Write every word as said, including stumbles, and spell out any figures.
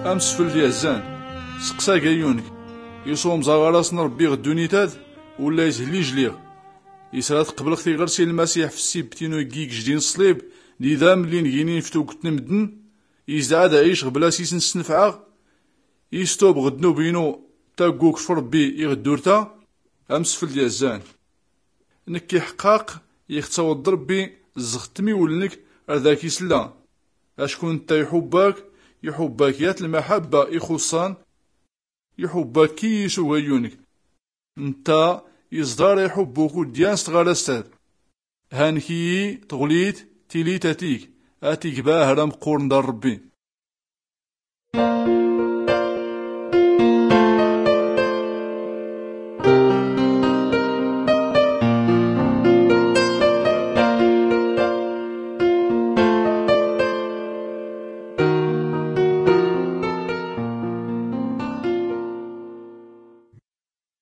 Amsfel d-yazzan, seqsa gayyunek, iṣumẓa ɣer-asen rebbi ɣ ddunit-ad? Ulla ishel ijliɣ? Isra tqeblɣ tiɣersi n lmasiḥ f ssibt-inu iggi igjdin ṣṣlib d idamlli n ginin f tugt n mddn? Isdɛa d-aɛic ɣ bla s-isn-snfɛɣ? Istub ɣ ddnub-inu taggukt f rebbi iɣ ddurt-a? Amsfel d-yazzan, nekk iḥqaq ixtawḍ rebbi zɣ tmiwlnk, ar dak islla. Acku ntta iḥubb-ak, iḥubb-ak yat lmaḥabba ixuṣṣan. Iḥubb-ak kiyis ugayyunek. Ntta iẓḍar iḥubb-uk uddyan s tɣarast-ad. Hank-iyi tɣlit tilit a tig, a tig ba ahram qquren dar rebbi.